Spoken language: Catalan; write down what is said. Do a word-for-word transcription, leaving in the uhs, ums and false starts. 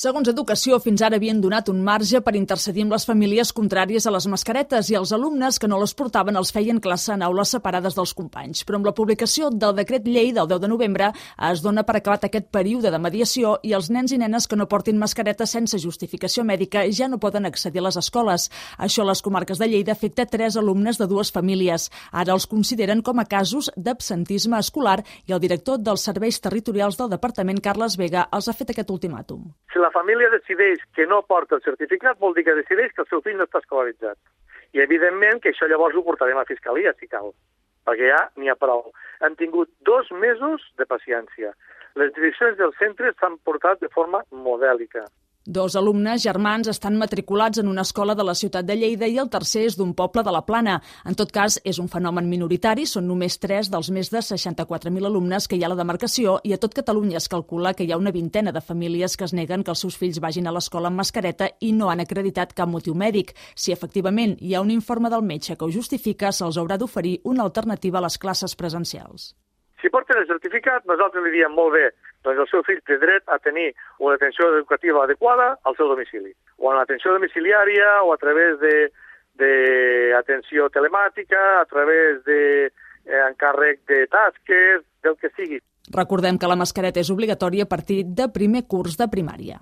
Segons Educació, fins ara havien donat un marge per intercedir amb les famílies contràries a les mascaretes i els alumnes que no les portaven els feien classe en aules separades dels companys. Però amb la publicació del decret llei del deu de novembre es dona per acabat aquest període de mediació i els nens i nenes que no portin mascareta sense justificació mèdica ja no poden accedir a les escoles. Això a les comarques de Lleida afecta tres alumnes de dues famílies. Ara els consideren com a casos d'absentisme escolar i el director dels serveis territorials del departament, Carles Vega, els ha fet aquest ultimàtum. Si la família decideix que no porta el certificat, vol dir que decideix que el seu fill no està escolaritzat. I, evidentment, que això llavors ho portarem a Fiscalia, si cal, perquè ja n'hi ha prou. Han tingut dos mesos de paciència. Les direccions dels centres s'han portat de forma modèlica. Dos alumnes germans estan matriculats en una escola de la ciutat de Lleida i el tercer és d'un poble de la Plana. En tot cas, és un fenomen minoritari, són només tres dels més de seixanta-quatre mil alumnes que hi ha a la demarcació i a tot Catalunya es calcula que hi ha una vintena de famílies que es neguen que els seus fills vagin a l'escola amb mascareta i no han acreditat cap motiu mèdic. Si efectivament hi ha un informe del metge que ho justifica, se'ls haurà d'oferir una alternativa a les classes presencials. Si porten el certificat, nosaltres li diem molt bé, doncs el seu fill té dret a tenir una atenció educativa adequada al seu domicili, o una atenció domiciliària, o a través de, de atenció telemàtica, a través de eh, encàrrec de tasques, del que sigui. Recordem que la mascareta és obligatòria a partir de primer curs de primària.